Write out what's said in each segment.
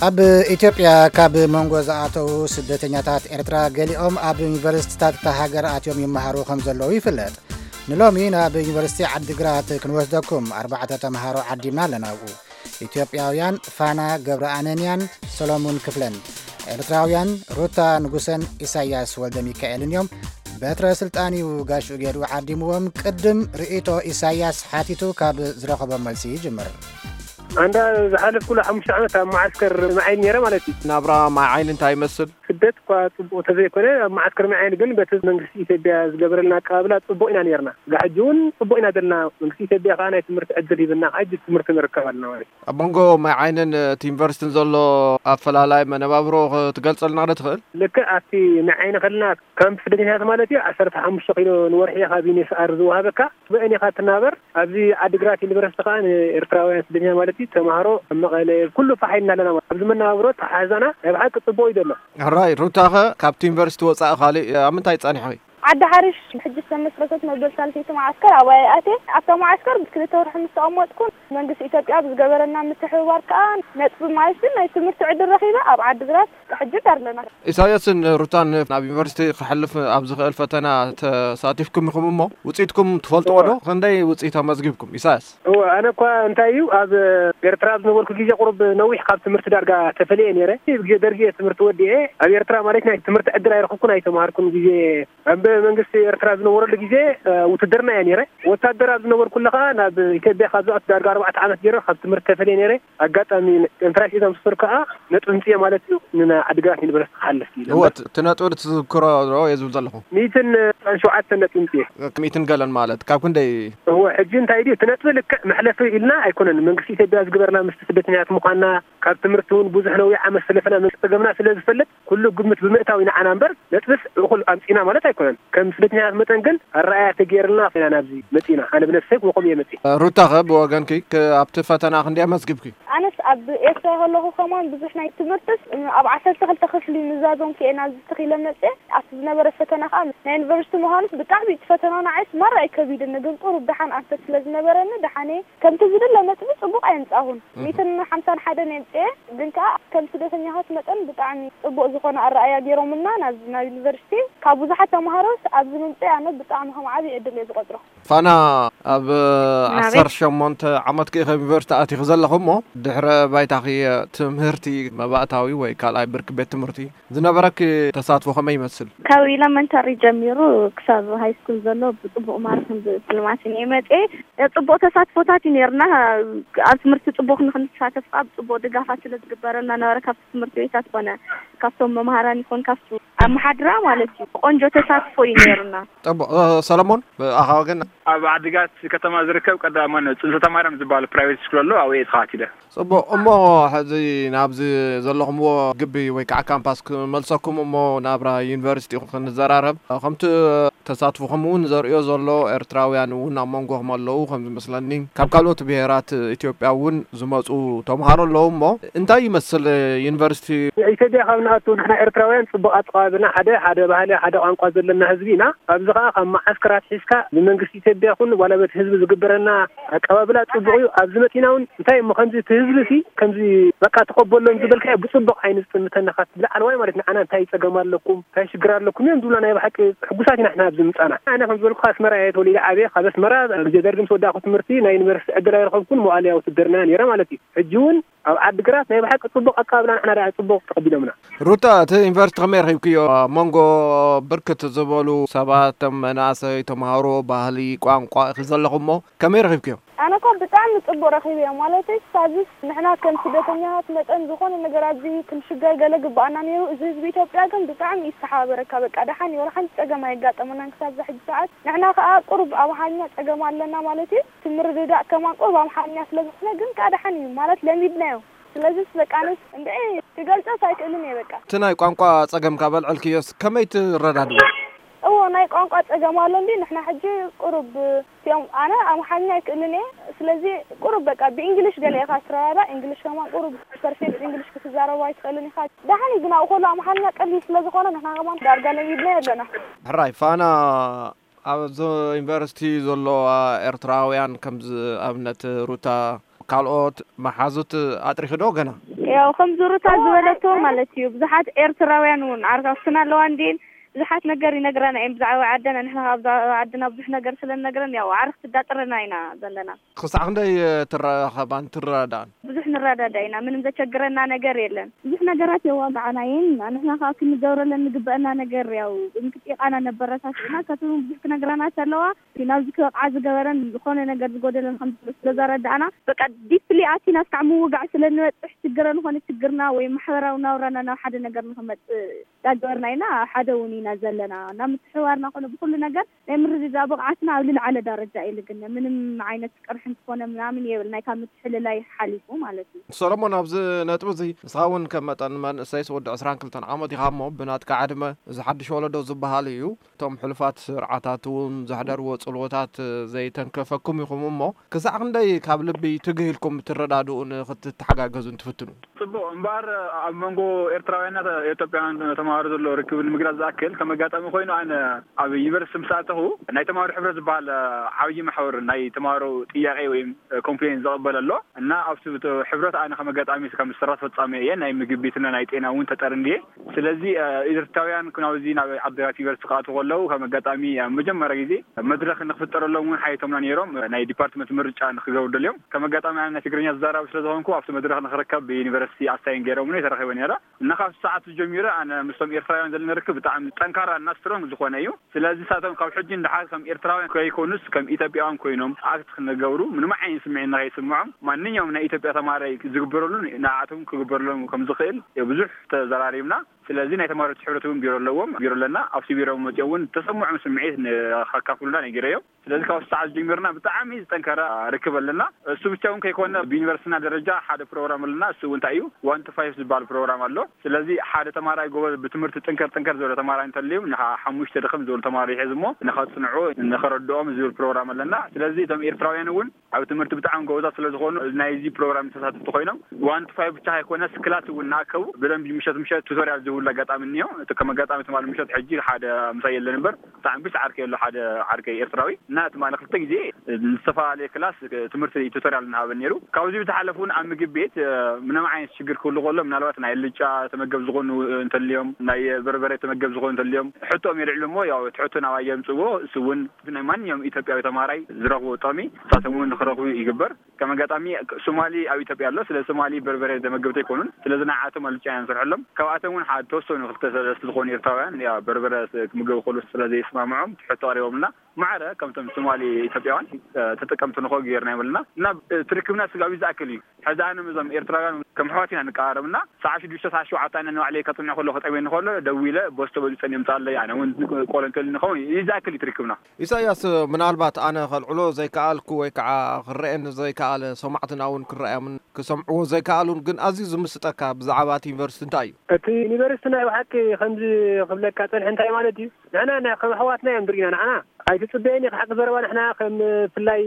ኣብ ኢትዮጵያ ካብ መንጎ ዝኣተዉ ስደተኛታት ኤርትራ ገሊኦም ኣብ ዩኒቨርሲቲታት እታ ሃገር ኣትዮም ይመሃሩ ከም ዘለዉ ይፍለጥ። ንሎሚ ናብ ዩኒቨርሲቲ ዓዲግራት ክንወስደኩም ኣርባዕተ ተምሃሮ ዓዲምና ኣለና ኣብኡ። ኢትዮጵያውያን ፋና ገብረኣነንያን ሰሎሙን ክፍለን፣ ኤርትራውያን ሩታ ንጉሰን ኢሳያስ ወልደ ሚካኤልን እዮም። በትረ ስልጣን እዩ ጋሽኡ ገይሩ ዓዲምዎም። ቅድም ርእይቶ ኢሳያስ ሓቲቱ ካብ ዝረኸቦም መልሲ ይጅምር። ኣንዳ ዝሓለፍኩሉ ሓሙሽተ ዓመት ኣብ መዓስከር ማይ ዓይኒ ነይረ ማለት እዩ። ናብራ ማይ ዓይኒ እንታይ ይመስል? ስደት እኳ ጽቡቕ ተዘይኮነ፣ ኣብ መዓስከር ማይ ዓይኒ ግን በቲ መንግስቲ ኢትዮጵያ ዝገበረልና ኣቀባብላ ጽቡቕ ኢና ነይርና። እዛ ሕጂ እውን ጽቡቕ ኢና ዘለና። መንግስቲ ኢትዮጵያ ከኣ ናይ ትምህርቲ ዕድል ሂብና፣ ከኣ ሕጂ ትምህርቲ ንርከብ ኣለና ማለት እዩ። ኣብ መንጎ ማይ ዓይንን እቲ ዩኒቨርሲቲን ዘሎ ኣፈላላይ መነባብሮ ክትገልጸልና ዶ ትኽእል? ልክዕ ኣብቲ ማይ ዓይኒ ከለና ካምፕ ስደተኛታት ማለት እዩ፣ ዓሰርተ ሓሙሽተ ኪሎ ንወርሒ ካብ ዩኔስኣር ዝወሃበካ፣ ብእን ኢኻ ትናበር። ኣብዚ ዓዲግራት ዩኒቨርሲቲ ከኣ ንኤርትራውያን ስደተኛ ማለት እዩ፣ ተማሃሮ ኣብ መቐለ ኩሉ ፋሕ ኢልና ኣለና ማለት። ኣብዚ መነባብሮ ተሓዛና ናይ ብሓቂ ጽቡቕ እዩ ዘሎ። ሕራይ፣ ሩታኸ ካብቲ ዩኒቨርሲቲ ወጻኢ ካሊእ ኣብ ምንታይ ጸኒሕኺ? ዓዲ ሓሪሽ ሕጂ ዝተመስረተት መበል ሳልሰይቲ መዓስከር ኣብኣ እየ ኣትየ። ኣብታ መዓስከር ክልተ ወርሒ ምስ ተቐመጥኩ መንግስቲ ኢትዮጵያ ብዝገበረና ምትሕብባር ከኣ ነጥቢ ማለት ግን ናይ ትምህርቲ ዕድል ረኺበ ኣብ ዓዲግራት ሕጂ ኣለና። ኢሳያስን ሩታን ናብ ዩኒቨርሲቲ ክሕልፍ ኣብ ዝኽእል ፈተና ተሳቲፍኩም ኢኹም እሞ ውጽኢትኩም ትፈልጥዎ ዶ? ክንደይ ውጽኢት ኣመዝጊብኩም? ኢሳያስ። እወ፣ ኣነ እኳ እንታይ እዩ፣ ኣብ ኤርትራ ኣብ ዝነበርኩ ግዜ ቁሩብ ነዊሕ ካብ ትምህርቲ ዳርጋ ተፈልየ ነይረ። ብግዜ ደርጊ እየ ትምህርቲ ወዲኤ። ኣብ ኤርትራ ማለት ናይ ትምህርቲ ዕድል ኣይረኸብኩን ኣይተማሃርኩን። ግዜ ኣብ መንግስቲ ኤርትራ ዝነበረሉ ግዜ፣ እ፣ ውትድርና እየ ነይረ። ወታደር ኣብ ዝነበርኩሉ ከኣ ናብ ኢትዮጵያ ካብ ዝኣቱ ዳርጋ ኣርባዕተ ዓመት ገይረ ካብ ትምህርቲ ተፈልየ ነይረ። ኣጋጣሚ ኤንትራንስ ኢንተርምስር ከኣ ነጥቢ ምጽኤ ማለት እዩ፣ ንዓዲግራት ዩኒቨርሲቲ ክሓልፍ ኢለ እወ፣ እምበር። እቲ ነጥቢ ትዝክሮ ዶ እየ ዝብል ዘለኹ? ሚእትን ሸውዓተን ነጥቢ ምጽኤ። ሚእትን ገለን ማለት ካብ ክንደይ? እወ፣ ሕጂ እንታይ ድዩ እቲ ነጥቢ ልክዕ መሕለፊ ኢልና ኣይኮነን። መንግስቲ ኢትዮጵያ ዝግበርና ምስቲ ስደተኛታት ምዃንና፣ ካብ ትምህርቲ እውን ብዙሕ ነዊሕ ዓመት ስለፈና መንግስቲ ጸገምና ስለ ዝፈልጥ፣ ኩሉ ግምት ብምእታው ኢና ዓና እምበር፣ ነጥብስ እኹል ኣምጺና ማለት ኣይኮነን። ከም ስደተኛታት መጠን ግን ኣረኣያ ተገይርልና ኢና ናብዚ መጺና። ኣነ ብነፍሰይ ብኸምኡ እየ መጺእ። ሩታኸ ብወገንኪ ክ-፣ ኣብቲ ፈተና ክንደይ ኣመዝጊብኪ? ኣነስ ኣብ ኤርትራ ከለኹ ከማን ብዙሕ ናይ ትምህርትስ ኣብ ዓሰርተ ክልተ ክፍሊ ምዛዞም ክየ ናብዚ ተኺለ መጽየ። ኣብቲ ዝነበረ ፈተና ከኣ ናይ ዩኒቨርሲቲ ምዃኑስ ብጣዕሚ እቲ ፈተና ንዓይስ ማራ እዩ ከቢድኒ፣ ግን ቁሩብ ደሓን ኣንፈት ስለ ዝነበረኒ ደሓን እየ። ከምቲ ዝድለ ነጥቢ ጽቡቕ ኣየምጻኹን። እህ። ሚእትን ሓምሳን ሓደን የምጽየ፣ ግን ከኣ ከም ስደተኛታት መጠን ብጣዕሚ ጽቡቕ ዝኾነ ኣረኣያ ገይሮምልና ናብ፣ ናብ ዩኒቨርሲቲ። ካብ ብዙሓት ተምሃሮስ ኣብዚ ምምጽእ ኣነ ብጣዕሚ ከም ዓቢ ዕድል እየ ዝቖጽሮ። ፋና፣ ኣብ ናበይ? ዓሰርተ ሸሞንተ ዓመትኪ ኢኺ ዩኒቨርሲቲ ኣቲኺ ዘለኹ እሞ፣ ድሕረ ባይታኺ ትምህርቲ መባእታዊ ወይ ካልኣይ ብርኪ ቤት ትምህርቲ ዝነበረኪ ተሳትፎ ከመይ ይመስል? ካብ ኢለመንታሪ ጀሚሩ ክሳብ ሃይ ስኩል ዘሎ ብጽቡቕ ማርክን ብስልማትን እየ መጽየ። ጽቡቕ ተሳትፎታት እዩ ነይርና። ኣብ ትምህርቲ ጽቡቕ ንክንሳተፍ ከዓ ብጽቡቕ ድጋፋት ስለ ዝግበረልና ነበረ፣ ካብቲ ትምህርቲ ቤታት ኮነ ካብቶም መምሃራን ይኹን ካብቲ ኣመሓድራ ማለት እዩ። ቆንጆ ተሳትፎ እዩ ነይርና። ጽቡቕ። እ፣ ሰለሞን፣ ብኣኻ ወገን? ኣብ ዓዲግራት ከተማ ዝርከብ ቀዳማይ ጽንሰተ ማርያም ዝበሃል ፕራይቬት ስኩል ኣሎ፣ ኣብኡ እየ ተኸታቲለ። ጽቡቕ። እሞ ሕዚ ናብዚ ዘለኹምዎ ግቢ ወይ ከዓ ካምፓስ ክመልሰኩም እሞ ናብራ ዩኒቨርሲቲ ክንዘራረብ። ከምቲ ተሳትፎኹም እውን ዘርእዮ ዘሎ ኤርትራውያን እውን ኣብ መንጎኹም ኣለዉ ከም ዝመስለኒ። ካብ ካልኦት ብሄራት ኢትዮጵያ እውን ዝመጹ ተምሃሮ ኣለዉ እሞ እንታይ ይመስል ዩኒቨርሲቲ? ኢትዮጵያ ካብ ንኣቱ ንሕና ኤርትራውያን ጽቡቕ ኣቀባብልና፣ ሓደ፣ ሓደ ባህሊ፣ ሓደ ቋንቋ ዘለና ህዝቢ ኢና። ኣብዚ ኸኣ ካብ መዓስከራት ሒዝካ ብመንግስቲ ኢትዮጵያ ይኹን ዋላ በቲ ህዝቢ ዝግበረና ኣቀባብላ ጽቡቕ እዩ። ኣብዚ መጺና እውን እንታይ እሞ ከምዚ እቲ ህዝቢ ሲ ከምዚ በቃ ተቐበሎም ዝበልካዮ ብጽቡቕ ዓይኒ ዝጥምተና ካብ ላዕለዋይ ማለት ንዓና እንታይ ጸገም ኣለኩም፣ እንታይ ሽግር ኣለኩም እዮም ዝብሉና። ናይ ብሓቂ ሕጉሳት ኢና ንሕና ኣብዚ ምጻና። ኣነ ከም ዝበልኩ ኣስመራ እየ ተወሊደ ዓብየ። ካብ ኣስመራ ግዜ ደርጊ ምስ ወዳእኩ ትምህርቲ ናይ ዩኒቨርሲቲ ዕድል ኣይረኸብኩን። መዋእለ ውትድርና ነይረ ማለት እዩ። ሕጂ እውን ኣብ ዓዲግራት ናይ ብሓቂ ጽቡቕ ኣቀባብላ ንሕና ደኣ ጽቡቕ ተቐቢሎምና። ሩታ፣ እቲ ዩኒቨርሲቲ ከመይ ረኺብክዮ? ኣብ መንጎ ብርክት ዝበሉ ሰባት፣ መናእሰይ፣ ተምሃሮ፣ ባህሊ፣ ቋንቋ ኢኺ ዘለኹ እሞ ከመይ ረኺብክዮ? ኣነ እኮ ብጣዕሚ ጽቡቕ ረኺበዮ። ማለተይ፣ ክሳብስ ንሕና ከም ስደተኛታት መጠን ዝኾነ ነገር ኣብዚ ክንሽገር ገለ ግብኣና ነይሩ። እዚ ህዝቢ ኢትዮጵያ ግን ብጣዕሚ እዩ ዝተሓባበረካ። በቃ ደሓን እዩ፣ ወላ ሓንቲ ጸገም ኣየጋጠመናን ክሳብ እዛ ሕጂ ሰዓት። ንሕና ከኣ ቁሩብ ኣብ ኣምሓርኛ ጸገም ኣለና ማለት እዩ። እቲ ምርድዳእ ከማን ቁሩብ ኣምሓርኛ ስለ ዝኾነ ግን ከኣ ደሓን እዩ ማለት ለሚድናዮ። ስለዚስ በቃ ኣነስ እንድዒ ክገልጾስ ኣይክእልን እየ በቃ። እቲ ናይ ቋንቋ ጸገም ካብ ኣልዐልክዮስ ከመይ ትረዳድዎ? እዎ ናይ ቋንቋ ጸገም ኣሎ እንዲ ንሕና ሕጂ ቁሩብ እቲኦም ኣነ ኣምሓርኛ ኣይክእልን እየ። ስለዚ ቁሩብ በቃ ብእንግሊሽ ገለ ኢኻ ትረዳዳእ፣ እንግሊሽ ከማን ቁሩብ ፐርፌክት እንግሊሽ ክትዛረቦ ኣይትኽእልን ኢኻ። ደሓን እዩ ግን ኣብኡ ከሎ ኣምሓርኛ ቀሊል ስለ ዝኾነ ንሕና ከማን ዳርጋ ለሚድናዮ ኣለና። ሕራይ ፋና ኣብዚ ዩኒቨርሲቲ ዘለዋ ኤርትራውያን ከምዚ ኣብነት ሩታ ካልኦት መሓዙት ኣጥሪኺ ዶ ገና? ያው ከም ዙሩታ ዝበለቶ ማለት እዩ። ብዙሓት ኤርትራውያን እውን ዓርካፍትና ኣለዋ እንዲን ብዙሓት ነገር ይነግረና እዮም ብዛዕባ ዓደና። ንሕና ካብ ብዛዕባ ዓድና ብዙሕ ነገር ስለ ንነግረን ያው ዓርክቲ ዳጥረና ኢና ዘለና። ክሳዕ ክንደይ ትራኸባን ትረዳዳን? ብዙሕ ንረዳዳ ኢና፣ ምንም ዘቸግረና ነገር የለን። ብዙሕ ነገራት የዋግዓና እየን። ንሕና ከዓ ክንገብረለን ንግበአና ነገር ያው ብምክጥቃና ነበረታት ኢና። ከትውን ብዙሕ ክነግረና ተለዋ ናብዚ ክበቕዓ ዝገበረን ዝኾነ ነገር ዝጎደለን ከም ዘሎ ስለ ዘረዳእና በቃ ዲፕሊ ኣቲና እስካዕ ምውጋዕ ስለ ንበፅሕ ችግረን ኾነ ችግርና ወይ ማሕበራዊ ናውራና ናብ ሓደ ነገር ንክመፅእ ዳገበርና ኢና። ሓደ እውን ኢና ዘለና ናብ ምትሕዋርና ኮነ ብኩሉ ነገር ናይ ምርድዳ ብቕዓትና ኣብ ልልዓለ ደረጃ እዩ ልግነ። ምንም ዓይነት ቅርሕንቲ ኮነ ምናምን የብል ናይ ካብ ምትሕልላይ ሓሊፉ ማለት እዩ። ሰሎሞን፣ ኣብዚ ነጥቢ እዚ ንስኻ እውን ከም መጠን መንእሰይ ወዲ ዕስራን ክልተን ዓመት ኢኻ እሞ ብናትካ ዕድመ እዚ ሓድሽ ወለዶ ዝበሃል እዩ። እቶም ሕሉፋት ስርዓታት እውን ዘሕደርዎ ጽልዎታት ዘይተንከፈኩም ኢኹም እሞ ክሳዕ ክንደይ ካብ ልቢ ትግህ ኢልኩም ትረዳድኡን ክትተሓጋገዙን ትፍትኑ? ጽቡቕ እምበኣር ኣብ መንጎ ኤርትራውያንና ኢትዮጵያውያን ተማሃሮ ዘሎ ርክብ ንምግላጽ ዝኣክል ከም ኣጋጣሚ ኮይኑ ኣነ ኣብ ዩኒቨርሲቲ ምስ ኣተኹ ናይ ተማሃሮ ሕብረት ዝበሃል ዓብዪ ማሕበር ናይ ተማሃሮ ጥያቄ ወይም ኮምፕሌን ዝቕበል ኣሎ እና ኣብቲ ሕብረት ኣነ ከም ኣጋጣሚ ከም ስራ ፈጻሚ እየ ናይ ምግቢ ቤትና ናይ ጤና እውን ተጠርንየ ስለዚ ኤርትራውያን ናብዚ ናብ ዓድግራት ዩኒቨርሲቲ ክኣትዉ ከለዉ ከም ኣጋጣሚ ኣብ መጀመርያ ግዜ መድረኽ ንክፍጠረሎም እውን ሓይቶምና ነይሮም ናይ ዲፓርትመንት ምርጫ ንክገብሩ ደልዮም ከም ኣጋጣሚ ኣነ ናይ ትግርኛ ዝዛረብ ስለ ዝኾንኩ ኣብቲ መድረኽ ንክርከብ ብዩኒቨርሲቲ ኣሳይን ገይሮምኒ ተረኺበ ነይረ እና ካብ ሰዓት ጀሚሩ ኣነ ምስቶም ኤርትራውያን ዘለና ርክብ ብጣዕሚ ጠንካራ እና ስትሮንግ ዝኾነ እዩ ስለዚ ሳቶም ካብ ሕጂ ንደሓር ከም ኤርትራውያን ከይኮኑስ ከም ኢትዮጵያውያን ኮይኖም ኣክት ክነገብሩ ምንም ዓይነት ስምዒት ንኸይስምዖም ማንኛውም ናይ ኢትዮጵያ ተማሃራይ ዝግበረሉ ንዓቶም ክግበረሎም ከም ዝኽእል ብዙሕ ተዘራሪብና ስለዚ ናይ ተማሃሮ ሕብረት እውን ቢሮ ኣለዎም ቢሮ ኣለና ኣብቲ ቢሮ መፅኦም እውን ተሰምዖም ስምዒት ከካፍሉና ነጊረዮም ስለዚ ካብ ሰዓት ጀሚርና ብጣዕሚ ዝጠንከረ ርክብ ኣለና እሱ ብቻ እውን ከይኮነ ብዩኒቨርሲቲና ደረጃ ሓደ ፕሮግራም ኣለና እሱ እውን እንታይ እዩ ዋን ቱ ፋይቭ ዝበሃል ፕሮግራም ኣሎ ስለዚ ሓደ ተማራይ ጎበዝ ብትምህርቲ ጥንከር ጥንከር ዝበለ ተማራይ እንተልዩ ንሓሙሽተ ድኽም ዝበሉ ተማሪ ይሕዝ እሞ ንኸፅንዑ ንኸረድኦም ዝብል ፕሮግራም ኣለና ስለዚ እቶም ኤርትራውያን እውን ኣብ ትምህርቲ ብጣዕሚ ጎበዛት ስለ ዝኾኑ ናይዚ ፕሮግራም ተሳተፍቲ ኮይኖም ዋን ቱ ፋይቭ ብቻ ኣይኮነስ ክላስ እውን እናኣከቡ ብደንቢ ምሸት ምሸት ቱቶሪያል ዝህብሉ ኣጋጣሚ እኒኦ እቲ ከም ኣጋጣሚ ትማሊ ምሸት ሕጂ ሓደ ምሳይ የለን እምበር ብጣዕሚ ብዙሕ ዓርከይ ኣሎ ሓደ ዓርከይ ኤርትራዊ እና ትማሊ ክልተ ግዜ ዝተፈላለየ ክላስ ትምህርቲ ቱቶሪያል እናሃበ ነይሩ ካብዚ ብዝሓለፍ እውን ኣብ ምግቢ ቤት ምንም ዓይነት ሽግር ክህሉ ከሎ ምናልባት ናይ ልጫ ተመገብ ዝኾኑ እንተልዮም ናይ በርበረ ተመገብ ዝኾኑ እንተልዮም ሕቶኦም የልዕሉ እሞ ያው እቲ ሕቶ ናባይ የምፅዎ እሱ እውን ናይ ማንኛውም ኢትዮጵያዊ ተማራይ ዝረኽቦ ጥቕሚ ንሳቶም እውን ንክረኽቡ ይግበር ከም ኣጋጣሚ ሶማሊ ኣብ ኢትዮጵያ ኣሎ ስለ ሶማሊ በርበረ ተመገብቲ ኣይኮኑን ስለዚ ንዓቶም ኣልጫ ኢና ንሰርሐሎም ካብኣቶም እውን ሓደ ተወሰኑ ክልተ ሰለስተ ዝኾኑ ኤርትራውያን ያ በርበረ ክምገቡ ከሉ ስለ ዘይስማምዖም ትሕቶ ቀሪቦምልና ማዕረ ከምቶም ሶማሊ ኢትዮጵያውያን ተጠቀምቲ ንኾ ገይርና ይመልና እና ትርክብና ስጋቢ ዝኣክል እዩ ሕዚ ኣነ እዞም ኤርትራውያን ከም ኣሕዋት ኢና ንቀራረብ እና ሰዓ ሽዱሽተ ሰዓ ሸውዓተ ኣነ ንባዕለይ ከፅንዕ ከለኹ ጠሜ ንኸሎ ደዊለ ቦስቶ በሊፀን የምፃለይ ኣነ እውን ቆሎ እንተልኒ ከውን ይዝኣክል እዩ ትርክብና ኢሳያስ ምናልባት ኣነ ከልዕሎ ዘይከኣልኩ ወይ ከዓ ክረአየኒ ዘይከኣለ ሰማዕትና እውን ክረኣዮምን ክሰምዕዎ ዘይከኣሉን ግን ኣዝዩ ዝምስጠካ ብዛዕባ እቲ ዩኒቨርሲቲ እንታይ እዩ እቲ ዩኒቨርሲቲ ናይ ብሓቂ ከምዚ ክብለካ ፀንሐ እንታይ ማለት እዩ ንሕና ከም ኣሕዋትና እዮም ድሪና ንዓና ኣይትፅበየኒ ክሓቂ ዘረባ ንሕና ከም ፍላይ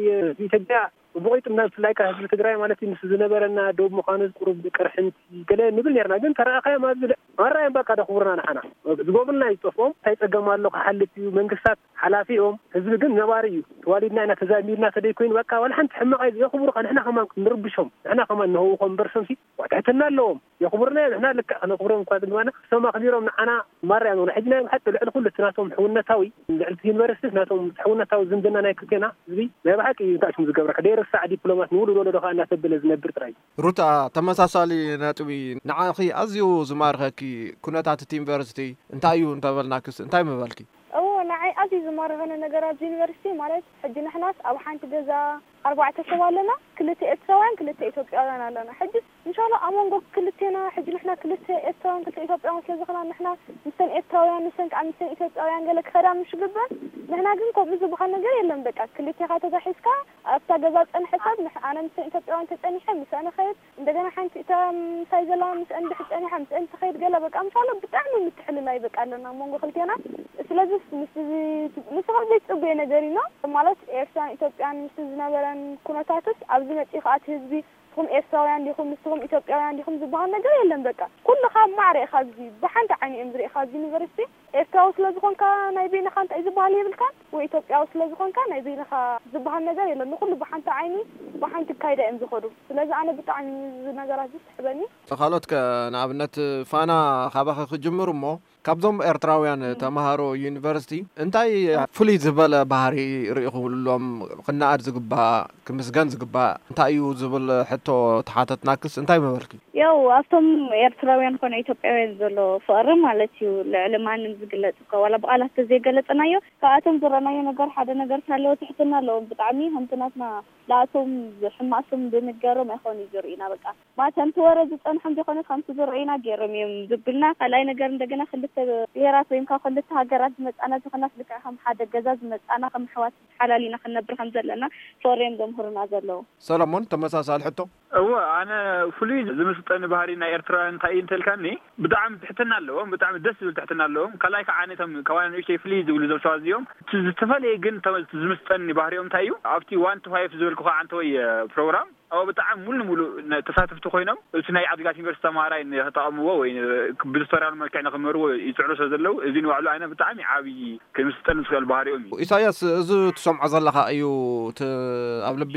ኢትዮጵያ ብቑይጥም ናብ ብፍላይ ከዓ ህዝቢ ትግራይ ማለት እዩ ምስ ዝነበረና ዶብ ምዃኑ ቁሩብ ቅርሕንቲ ገለ ንብል ነርና ግን ተረኣኻዮም ኣብዚ ማራ እዮም በቃ ደኽብሩና ንዓና ዝገብሩልና እዩ ዝጠፍኦም እንታይ ፀገም ኣሎ ክሓልፍ እዩ መንግስታት ሓላፊ እዮም ህዝቢ ግን ነባሪ እዩ ተዋሊድና ኢና ተዛሚድና ተደይኮይኑ በቃ ዋላ ሓንቲ ሕማቕ የኽብሩኻ ንሕና ከማን ንርብሾም ንሕና ከማን ንህውኾም እምበር ሰምሲ ትሕትና ኣለዎም የኽብሩና እዮም ንሕና ልክዕ ክነኽብሮም እኳ ዝግባና እሶም ኣኽቢሮም ንዓና ማራ እዮም ሕጂ ናይ ብሓቂ ልዕሊ ኩሉ እቲ ናቶም ሕውነታዊ ልዕሊ እቲ ዩኒቨርሲቲ ናቶም ሕውነታዊ ዝምድና ናይ ክልቴና ህዝቢ ናይ ብሓቂ እዩ እንታይ ሽሙ ዝገብረካ ደይርሳዕ ዲፕሎማት ንውሉድ ወለዶ ከዓ እናተበለ ዝነብር ጥራይ እዩ። ሩታ ተመሳሳሊ ነጥቢ ንዓኺ ኣዝዩ ዝማርኸኪ ኩነታት እቲ ዩኒቨርሲቲ እንታይ እዩ እንተበልናክስ እንታይ ምበልኪ? እወ ንዓይ ኣዝዩ ዝማረኸኒ ነገር ኣብዚ ዩኒቨርሲቲ ማለት ሕጂ ንሕናስ ኣብ ሓንቲ ገዛ ኣርባዕተ ሰብ ኣለና ክልተ ኤርትራውያን ክልተ ኢትዮጵያውያን ኣለና ሕጂ እንሻላ ኣብ መንጎ ክልቴና ሕጂ ንሕና ክልተ ኤርትራውያን ክልተ ኢትዮጵያውያን ስለ ዝኾና ንሕና ምስተን ኤርትራውያን ንሰን ከዓ ምስተን ኢትዮጵያውያን ገለ ክኸዳ ምሽ ግበን ንሕና ግን ከምኡ ዝበሃል ነገር የለን በቃ ክልቴኻ ተጋሒዝካ ኣብታ ገዛ ዝፀንሐ ሰብ ኣነ ምስተን ኢትዮጵያውያን ተፀኒሐ ምሰን እኸይድ እንደገና ሓንቲ እታ ምሳይ ዘላ ምስአን ድሕር ፀኒሓ ምስአን ትኸይድ ገለ በቃ ምሻሎ ብጣዕሚ ምትሕልላይ በቃ ኣለና ኣብ መንጎ ክልቴና ስለዚ ምስ ንስኻ ዘይትፅበዮ ነገር እዩ ማለት ኤርትራን ኢትዮጵያን ምስ ዝነበረን ኩነታትስ ኣብዚ መፂኡ ከዓ እቲ ህዝቢ ንስኹም ኤርትራውያን ዲኹም ንስኹም ኢትዮጵያውያን ዲኹም ዝበሃል ነገር የለን በቃ ኩልኻ ማዕረ ኢኻ ኣብዚ ብሓንቲ ዓይኒ እዮም ዝርእኻ ኣብዚ ዩኒቨርሲቲ ኤርትራዊ ስለ ዝኾንካ ናይ በይንኻ እንታይ ዝበሃል የብልካን፣ ወይ ኢትዮጵያዊ ስለ ዝኾንካ ናይ በይንኻ ዝበሃል ነገር የለን። ንኹሉ ብሓንቲ ዓይኒ ብሓንቲ ካይዳ እዮም ዝኸዱ። ስለዚ ኣነ ብጣዕሚ እዚ ነገራት ዝስሕበኒ። ካልኦት ከ ንኣብነት ፋና ካባኺ ክጅምር እሞ ካብዞም ኤርትራውያን ተምሃሮ ዩኒቨርሲቲ እንታይ ፍሉይ ዝበለ ባህሪ ርኢኹሎም ክነኣድ ዝግባእ ክምስገን ዝግባእ እንታይ እዩ ዝብል ሕቶ ተሓተትናክስ እንታይ ምበልኪ? ያው ኣብቶም ኤርትራውያን ኮነ ኢትዮጵያውያን ዘሎ ፍቕሪ ማለት እዩ ልዕሊ ማንም ዝግለጽ እኮ ዋላ ብቓላት ተዘይገለጽናዮ ካብኣቶም ዝረኣናዮ ነገር ሓደ ነገር ሳለዎ ትሕትና ኣለዎም ብጣዕሚ ከምቲ ናትና ንኣቶም ሕማቕ ስም ብንገሮም ኣይኾን እዩ ዝርእዩና በቃ ማለት ከምቲ ወረ ዝጸንሖም ዘይኮነስ ከምቲ ዝርእዩና ገይሮም እዮም ዝብልና ካልኣይ ነገር እንደገና ክልተ ብሄራት ወይም ካብ ክልተ ሃገራት ዝመጻና ዝኾናስ ልክዕ ከም ሓደ ገዛ ዝመጻና ከም ኣሕዋት ሓላሊና ክንነብር ከም ዘለና ፍቕሪ እዮም ዘምህሩና ዘለዉ። ሰለሞን ተመሳሳሊ ሕቶ። እወ ኣነ ፍሉይ ዝምስጠኒ ባህሪ ናይ ኤርትራውያን እንታይ እዩ እንተልካኒ ብጣዕሚ ትሕትና ኣለዎም ብጣዕሚ ደስ ዝብል ትሕትና ኣለዎም ካልኣይ ከዓ ነቶም ካባና ንእሽተይ ፍልይ ዝብሉ እዞም ሰባት እዚኦም እቲ ዝተፈለየ ግን እቶም ዝምስጠኒ ባህሪኦም እንታይ እዩ ኣብቲ ዋን ቱ ፋይፍ ዝበልኩኻ ዓንተወይ ፕሮግራም ኣብ ብጣዕሚ ሙሉ ሙሉ ተሳተፍቲ ኮይኖም እቲ ናይ ዓዲግራት ዩኒቨርሲቲ ተምሃራይ ንክጠቐምዎ ወይ ብቱቶሪያል መልክዕ ንክመርዎ ይፅዕሩ ስለ ዘለዉ እዚ ንባዕሉ ኣነ ብጣዕሚ ዓብዪ ክምስጠኒ ዝኽእል ባህሪኦም እዩ። ኢሳያስ እዚ ትሰምዖ ዘለኻ እዩ እቲ ኣብ ልቢ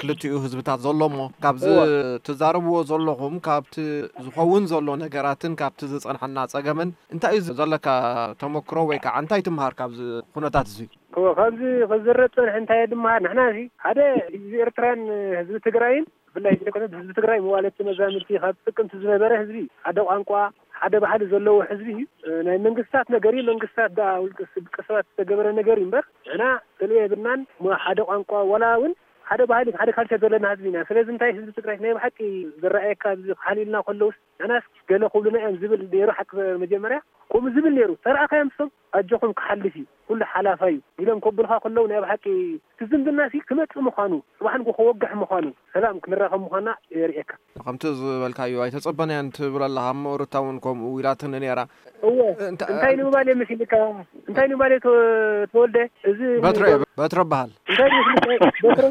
ክልቲኡ ህዝብታት ዘሎ እሞ ካብዚ ትዛረብዎ ዘለኹም ካብቲ ዝኸውን ዘሎ ነገራትን ካብቲ ዝጸንሐና ጸገምን እንታይ እዩ ዘለካ ተመክሮ ወይ ከዓ እንታይ ትምሃር ካብዚ ኩነታት እዚ? እወ ካብዚ ክዝረብ ጸንሐ እንታይ እየ ድመሃር ንሕና እዚ ሓደ ህዝቢ ኤርትራን ህዝቢ ትግራይን ብፍላይ ዘይኮነ ህዝቢ ትግራይ መዋለድቲ መዛምድቲ ካብ ጥቅምቲ ዝነበረ ህዝቢ ሓደ ቋንቋ ሓደ ባህሊ ዘለዎ ህዝቢ እዩ። ናይ መንግስታት ነገር እዩ። መንግስታት ደኣ ውልቀ ውልቀ ሰባት ዝተገበረ ነገር እዩ እምበር ንሕና ገለ የብልናን። እሞ ሓደ ቋንቋ ዋላ እውን ሓደ ባህሊ ሓደ ካልቸር ዘለና ህዝቢ ኢና። ስለዚ እንታይ ህዝቢ ትግራይ ናይ ብሓቂ ዝረኣየካ ኣብዚ ክሓልዩልና ከለውስ ንሕናስ ገለ ክብሉና እዮም ዝብል ነይሩ ሓቂ መጀመርያ ከምኡ ዝብል ነይሩ። ተረኣኻዮም ንሶም ኣጆኹም ክሓልፍ እዩ ኩሉ ሓላፋይ እዩ ኢሎም ከብሉኻ ከለዉ ናይ ብሓቂ እቲ ዝምድና ሲ ክመጽእ ምዃኑ ጽባሕ ንግሆ ክወግሕ ምዃኑ ሰላም ክንራኸብ ምዃንና የርእየካ። ከምቲ ዝበልካዮ ኣይተጸበናያን ትብል ኣለኻ እሞ ሩታ እውን ከምኡ ኢላትኒ ነይራ። እወ እንታይ ንምባል እየ መሲልካ እንታይ ንምባል እየ ተወልደ እዚ በትረ በትረ በሃል እንታይ ይመስልካ በትረ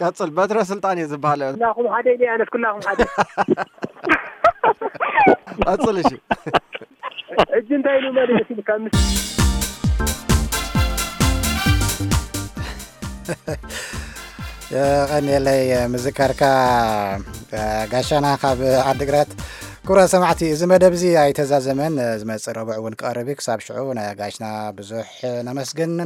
ቀጽል በትረ ስልጣን እየ ዝበሃል ኩላኹም ሓደ ኢለ ኣነስ ኩላኹም ሓደ ቀጽል እሺ ሕጂ እንታይ ኢሉ ማለት ኢልካ ምስ የቐንየለይ ምዝካርካ ጋሻና ካብ ዓድግራት። ክቡራት ሰማዕቲ፣ እዚ መደብ እዚ ኣይተዛዘመን። ዝመጽእ ረቡዕ እውን ክቐርብ እዩ። ክሳብ ሽዑ ንጋሽና ብዙሕ ነመስግን።